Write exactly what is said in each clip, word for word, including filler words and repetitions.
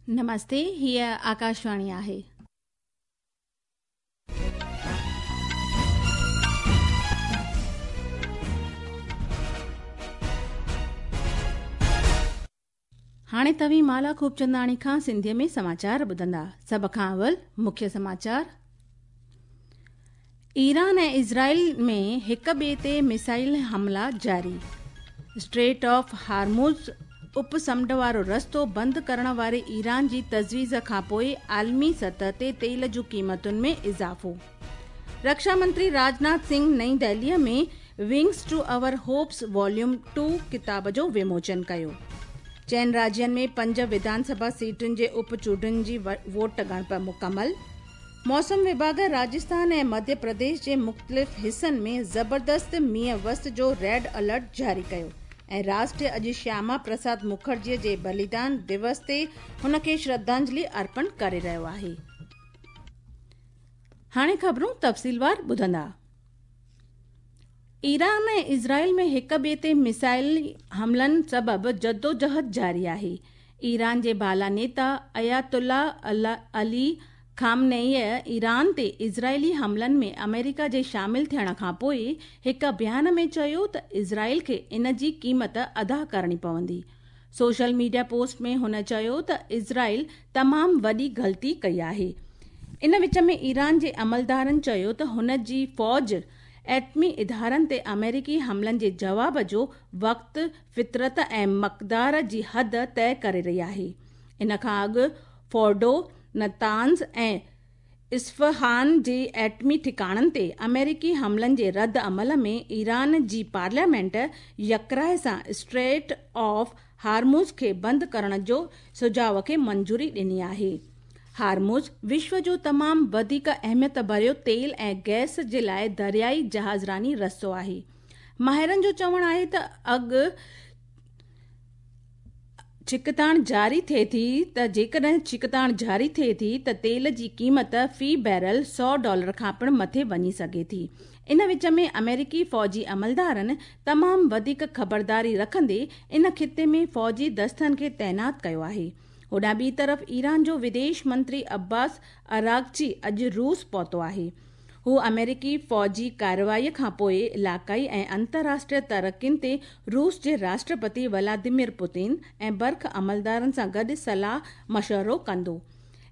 नमस्ते, हीअ आकाशवाणी आहे। हाणे तव्हीं माला खूबचंदाणी खां सिंधीअ में समाचार ॿुधंदा। सभ खां अवल मुख्य समाचार। ईरान ऐं इज़राइल में हिक ॿिए ते मिसाइल हमला जारी। स्ट्रेट ऑफ हार्मुज़ उपसमुंड वारो रस्तो बंदि करण वारे ईरान जी तजवीज़ खां पोइ आलमी सतह ते तेल जूं क़ीमतुनि में इज़ाफ़ो। रक्षा मंत्री राजनाथ सिंह नई दिल्लीअ में wings to our hopes volume two किताब जो विमोचन कयो। चइनि राज्यनि में पंज विधानसभा सीटुनि जे उप चूंडुनि जी वोट ॻणप मुकमल। मौसम विभाग राजस्थान ऐं मध्य प्रदेश जे मुख़्तलिफ़ हिसनि में ज़बरदस्त मींहुं वस जो रेड अलर्ट जारी कयो। ऐं राष्ट्र अॼु श्यामा प्रसाद मुखर्जीअ जे बलिदान दिवस ते हुनखे श्रद्धांजलि अर्पण करे रहियो आहे। हाणे ख़बरूं तफ़सीलवार ॿुधंदा। ईरान ऐं इज़राइल में हिक ॿिए ते मिसाइल हमलनि सबबु जदोजहद जारी आहे। ईरान जे बाला नेता अयातुल्ला अली खामनेईअ ईरान ते इज़राइली हमलनि में अमेरिका जे शामिल थियण खां पोइ हिक बयान में चयो त इज़राइल खे इन जी क़ीमत अदा करणी पवंदी। सोशल मीडिया पोस्ट में हुन चयो त इज़राइल तमामु वॾी ग़लती कई आहे। इन विच में ईरान जे अमलदारनि चयो त हुन जी फ़ौज एटमी इदारनि ते अमेरिकी हमलनि जे जवाब जो वक़्तु, फितरत ऐं मक़दार जी हद तय करे रही आहे। इन खां अॻु फोर्डो, नतान्ज़ ऐं इस्फ़हान जे एटमी ठिकाणनि ते अमेरिकी हमलनि जे रद्द अमल में ईरान जी पार्लियामेंट यकराय सां स्ट्रेट ऑफ हार्मुज़ खे बंदि करण जो सुझाव खे मंजूरी ॾिनी आहे। हार्मुज़ विश्व जो तमामु वधीक अहमियत भरियो तेल ऐं गैस जे लाइ दरियाई जहाज़रानी रस्तो आहे। माहिरनि जो चवणु आहे त अॻु छिकताण जारी थिए थी त जेकॾहिं छिकताण जारी थिए थी त तेल जी क़ीमत फ़ी बैरल सौ डॉलर खां पिणु मथे वञी सघे थी। इन विच में अमेरिकी फ़ौजी अमलदारनि तमामु वधीक ख़बरदारी रखंदे इन ख़िते में फ़ौजी दस्तनि खे तैनात कयो आहे। होॾां ॿी तरफ़ ईरान जो विदेश मंत्री अब्बास अरागची अॼु रूस पहुतो आहे। हू अमेरिकी फ़ौजी कार्रवाईअ खां पोइ इलाइक़ाई ऐं अंतर्राष्ट्रीय तरक़ियुनि ते रूस जे राष्ट्रपति व्लादिमीर पुतिन ऐं बर्ख अमलदारनि सां गॾु सलाह मशवरो कंदो।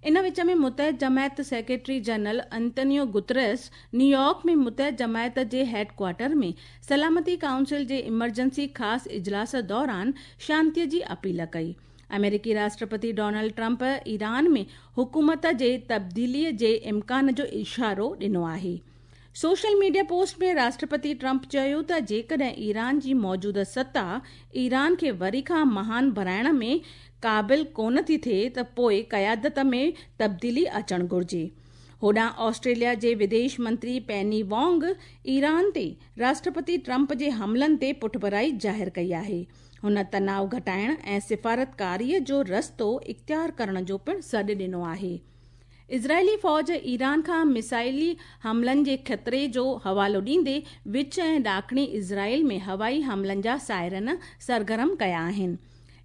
इन विच में मुतहद जमायत secretary general Antonio Guterres New York में मुतहद जमायत जे हेडक्वार्टर में सलामती काउंसिल जे इमरजेंसी ख़ासि इजलास दौरान शांतीअ जी अपील कई। अमेरिकी राष्ट्रपति डोनाल्ड ट्रंप ईरान में हुकूमत जे तब्दीलीअ जे इम्कान जो इशारो ॾिनो आहे। सोशल मीडिया पोस्ट में राष्ट्रपति ट्रंप चयो त जेकॾहिं ईरान जी मौजूदा सत्ता ईरान खे वरी खां महान बणाइण में क़ाबिल कोन थी थिए त पोइ क़यादत में तब्दीली अचणु घुर्जे। होॾां ऑस्ट्रेलिया जे विदेश मंत्री पेनी वॉन्ग ईरान ते राष्ट्रपति ट्रंप जे हमलनि ते पुठभराई ज़ाहिर कई आहे। हुन तनाव घटाइण ऐं सिफारतकारीअ जो रस्तो इख़्तियार करण जो पिणु सॾु ॾिनो आहे। इज़राइली फ़ौज ईरान खां मिसाइली हमलनि जे ख़तरे जो हवालो ॾींदे विच ऐं ॾाखणी इज़राइल में हवाई हमलनि जा सायरन सरगर्म कया आहिनि।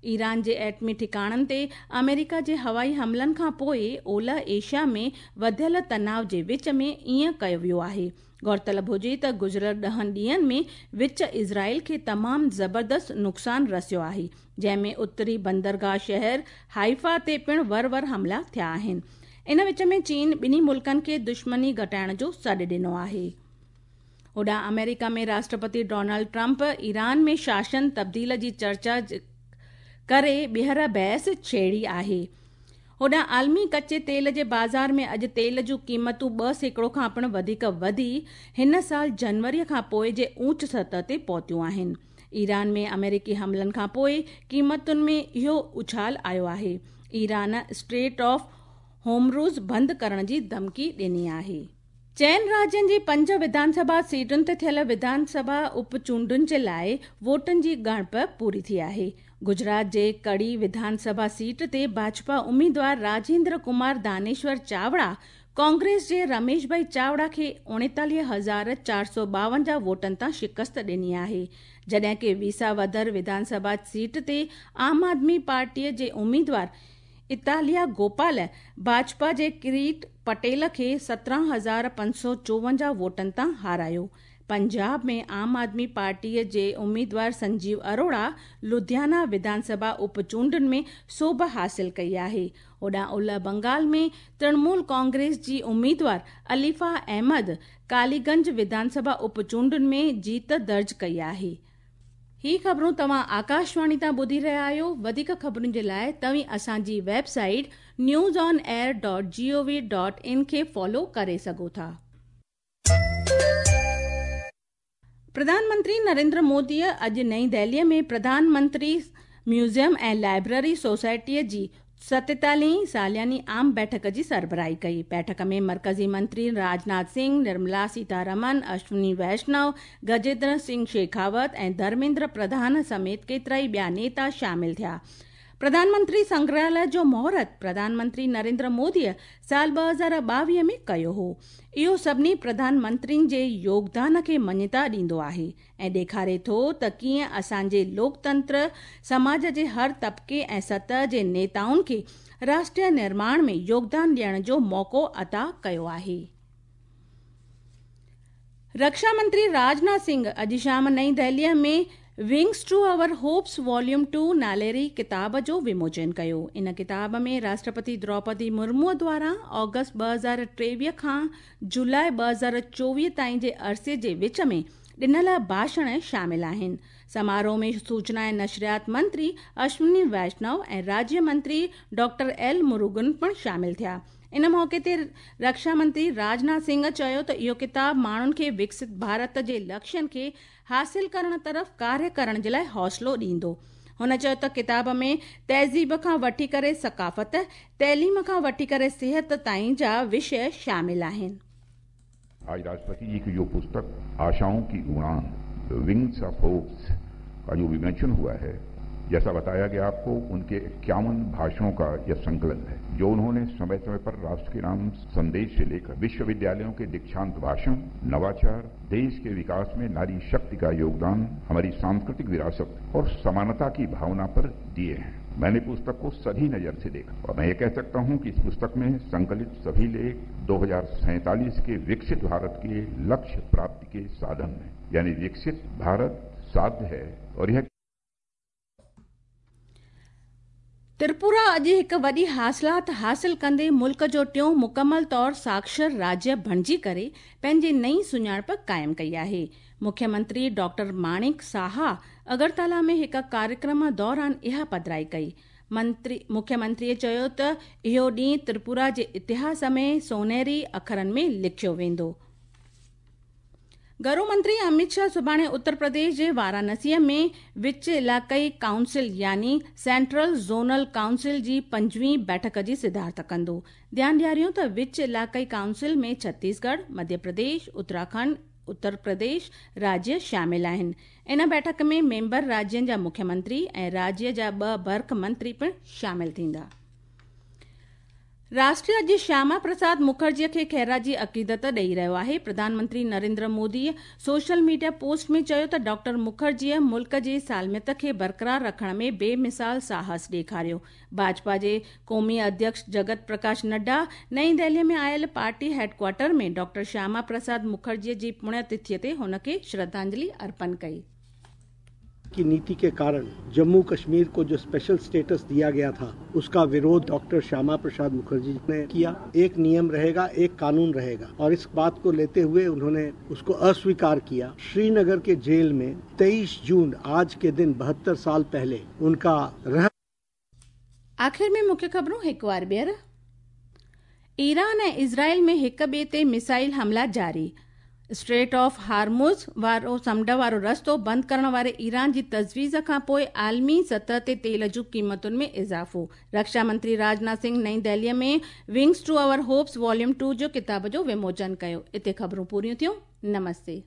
ईरान जे एटमी ठिकाणनि ते अमेरिका जे हवाई हमलनि खां पोइ ओलह एशिया में वधियल तनाव जे विच में ईअं कयो वियो आहे। गौरतलब हुजे त गुज़िरियल ॾहनि ॾींहंनि में विच इज़राइल खे तमामु ज़बरदस्त नुक़सानु रसियो आहे, जंहिं में उत्तरी बंदरगाह शहर हाइफा ते पिणु वर वर हमला थिया आहिनि। इन विच में चीन ॿिन्ही मुल्कनि खे दुश्मनी घटाइण जो सॾु ॾिनो आहे। होॾां अमेरिका में राष्ट्रपति डोनाल्ड ट्रंप ईरान में शासन तब्दील जी चर्चा करे ॿीहर बहस छेड़ी आहे। होॾां आलमी कच्चे तेल जे बाज़ार में अॼु तेल जूं क़ीमतूं ॿ सैकड़ो खां पिणु वधीक वधी हिन साल जनवरीअ खां पोइ जे ऊंच सतह ते पहुतियूं आहिनि। ईरान में अमेरिकी हमलनि खां पोइ क़ीमतुनि में इहो उछाल आयो आहे। ईरान स्ट्रेट ऑफ होमरूज़ बंदि करण जी धमकी ॾिनी आहे। चइनि राज्यनि जी पंज विधानसभा सीटुनि ते थियल विधानसभा उप चूंडुनि जे लाइ वोटनि जी ॻणप पूरी थी आहे। गुजरात जे कड़ी विधानसभा सीट ते भाजपा उम्मीदवार राजेंद्र कुमार दानेश्वर चावड़ा कांग्रेस जे रमेश भाई चावड़ा खे उणेतालीह हज़ार चारि सौ ॿावंजाह वोटनि तां शिकस्त ॾिनी आहे, जॾहिं की विसावदर विधानसभा सीट ते आम आदमी पार्टीअ जे उम्मीदवार इतालिया गोपाल भाजपा जे किरीट पटेल खे सत्रहं हज़ार पंज सौ चोवंजाह वोटनि तां हारायो। पंजाब में आम आदमी पार्टीअ जे उम्मीदवार संजीव अरोड़ा लुधियाना विधानसभा उपचूंडुनि में सोभ हासिल कई आहे। होॾां उलह बंगाल में तृणमूल कांग्रेस जी उम्मीदवार अलीफा अहमद कालीगंज विधानसभा उपचूंडुनि में जीत दर्ज कई आहे। ही ख़बरूं तव्हां आकाशवाणी तां ॿुधी रहिया आहियो। वधीक ख़बरुनि जे लाइ तव्हीं असांजी website news on air dot G O V dot in खे फॉलो करे सघो था। प्रधानमंत्री नरेंद्र मोदीअ अॼु नई दिल्लीअ में प्रधानमंत्री म्यूज़ियम ऐं लाइब्रेरी सोसाइटीअ जी सतेतालीह सालियानी आम बैठक जी सरबराही कई। बैठक में मरकज़ी मंत्री राजनाथ सिंह, निर्मला सीतारमन, अश्विनी वैष्णव, गजेंद्र सिंह शेखावत ऐं धर्मेंद्र प्रधान समेत केतिरा ई ॿिया नेता शामिल थिया। प्रधानमंत्री संग्रहालय जो मुहूर्त प्रधानमंत्री नरेंद्र मोदीअ साल ॿ हज़ार ॿावीह में कयो हो। इहो सभिनी प्रधानमंत्रियुनि जे योगदान खे मञता ॾींदो आहे ऐं ॾेखारे थो त कीअं असांजे लोकतंत्र समाज जे हर तबिके ऐं सतह जे नेताउनि खे राष्ट्रीय निर्माण में योगदान ॾियण जो मौक़ो अता कयो आहे। रक्षा मंत्री राजनाथ सिंह अॼु शाम नई दिल्लीअ में wings to our hopes volume two नालेरी किताब जो विमोचन कयो। इन किताब में राष्ट्रपति द्रौपदी मुर्मू द्वारा ऑगस्ट ॿ हज़ार टेवीह खां जुलाई ॿ हज़ार चोवीह ताईं जे अरसे जे विच में ॾिनल भाषण शामिल आहिनि। समारोह में सूचना ऐं नशरियात मंत्री अश्विनी वैष्णव ऐं राज्य मंत्री डॉक्टर एल मुरुगन पिणु शामिल थिया। इन मौक़े ते रक्षा मंत्री राजनाथ सिंह चयो त इहो किताब माण्हुनि खे विकसित भारत जे लक्ष्यनि खे हासिल करण तरफ़ कार्य करण जे लाइ हौसलो ॾींदो। हुन चयो त किताब में तहज़ीब खां वठी करे सकाफ़त, तइलीम खां वठी करे सिहत ताईं जा विषय शामिल आहिनि। आज राष्ट्रपति जी की जो पुस्तक आशाओं की उड़ान विंग्स ऑफ होप्स का जो विमोचन हुआ है, जैसा बताया गया आपको, उनके इक्यावन भाषणों का यह संकलन है जो उन्होंने समय समय पर राष्ट्र के नाम संदेश से लेकर विश्वविद्यालयों के दीक्षांत भाषण, नवाचार, देश के विकास में नारी शक्ति का योगदान, हमारी सांस्कृतिक विरासत और समानता की भावना पर दिए हैं। मैंने पुस्तक को सभी नजर से देखा और मैं ये कह सकता हूं कि इस पुस्तक में संकलित सभी लेख दो हजार सैंतालीस के विकसित भारत के लक्ष्य प्राप्ति के साधन हैं, यानी विकसित भारत साध्य है। और यह त्रिपुरा अॼु हिकु वॾी हासिलात हासिल कंदे मुल्क जो टियों मुकमल तौर साक्षर राज्य बणिजी करे पंहिंजी नई सुञाणप क़ाइमु कई आहे। मुख्यमंत्री डॉक्टर माणिक साहा अगरतला में हिकु कार्यक्रम दौरान इहा पधराई कई। मंत्री मुख्यमंत्रीअ चयो त इहो ॾींहुं त्रिपुरा जे इतिहास में सोनेरी अखरनि में लिखियो वेंदो। घरू मंत्री अमित शाह सुभाणे उत्तर प्रदेश जे वाराणसीअ में विच इलाक़ाई काउंसिल यानी सेंट्रल ज़ोनल काउंसिल जी पंजवीं बैठक जी सिद्धार्थ कंदो। ध्यानु ॾियारियूं त विच इलाक़ाई काउंसिल में छत्तीसगढ़, मध्य प्रदेश, उत्तराखंड, उत्तर प्रदेश राज्य शामिल आहिनि। इन बैठक में मेंबर राज्यनि जा मुख्यमंत्री ऐं राज्य जा ॿ बर्क मंत्री पिणु शामिल थींदा। राष्ट्र अॼु श्यामा प्रसाद मुखर्जीअ खे ख़ैराजी अक़ीदत ॾेई रहियो आहे। प्रधानमंत्री Narendra Modi social media post में चयो त डॉक्टर मुखर्जीअ मुल्क जे सालमियत खे बरक़रार रखण में बेमिसाल साहस ॾेखारियो। भाजपा जे क़ौमी अध्यक्ष जगत प्रकाश नड्डा नई दिल्लीअ में आयल पार्टी हेडक्वार्टर में डॉक्टर श्यामा प्रसाद मुखर्जीअ जी पुण्यतिथिअ ते हुनखे श्रद्धांजलि अर्पण कई। की नीति के कारण जम्मू कश्मीर को जो स्पेशल स्टेटस दिया गया था उसका विरोध डॉक्टर श्यामा प्रसाद मुखर्जी ने किया। एक नियम रहेगा, एक कानून रहेगा, और इस बात को लेते हुए उन्होंने उसको अस्वीकार किया। श्रीनगर के जेल में तेईस जून आज के दिन बहत्तर साल पहले उनका रह। आखिर में मुख्य खबरूं एक बार ॿीहर। ईरान ऐं इज़राइल में हिक ॿिए ते मिसाइल हमला जारी। स्ट्रेट ऑफ हार्मुज़ वारो समुंड वारो रस्तो बंदि करण वारे ईरान जी तजवीज़ खां पोइ आलमी सतह ते तेल जूं क़ीमतुनि में इज़ाफ़ो। रक्षा मंत्री राजनाथ सिंह नई दिल्लीअ में wings to our hopes volume two जो किताब जो विमोचन कयो। हिते ख़बरूं पूरियूं थियूं। नमस्ते।